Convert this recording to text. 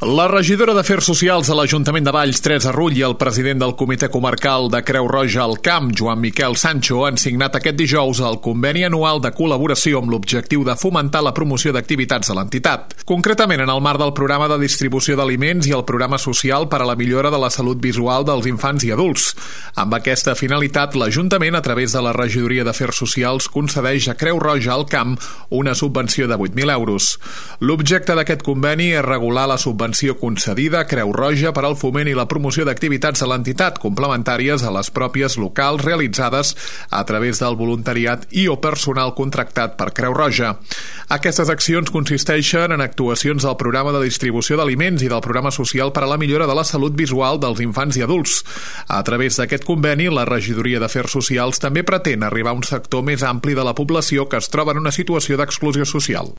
La regidora d'Afers Socials de l'Ajuntament de Valls, Teresa Rull, i el president del Comitè Comarcal de Creu Roja al Camp, Joan Miquel Sancho, han signat aquest dijous el conveni anual de col·laboració amb l'objectiu de fomentar la promoció d'activitats de l'entitat. Concretament, en el marc del programa de distribució d'aliments i el programa social per a la millora de la salut visual dels infants i adults. Amb aquesta finalitat, l'Ajuntament, a través de la Regidoria d'Afers Socials, concedeix a Creu Roja al Camp una subvenció de 8.000 euros. L'objecte d'aquest conveni és regular la subvenció concedida a Creu Roja per al foment i la promoció d'activitats de l'entitat complementàries a les pròpies locals realitzades a través del voluntariat i o personal contractat per Creu Roja. Aquestes accions consisteixen en actuacions del programa de distribució d'aliments i del programa social per a la millora de la salut visual dels infants i adults. A través d'aquest conveni, la Regidoria d'Afers Socials també pretén arribar a un sector més ampli de la població que es troba en una situació d'exclusió social.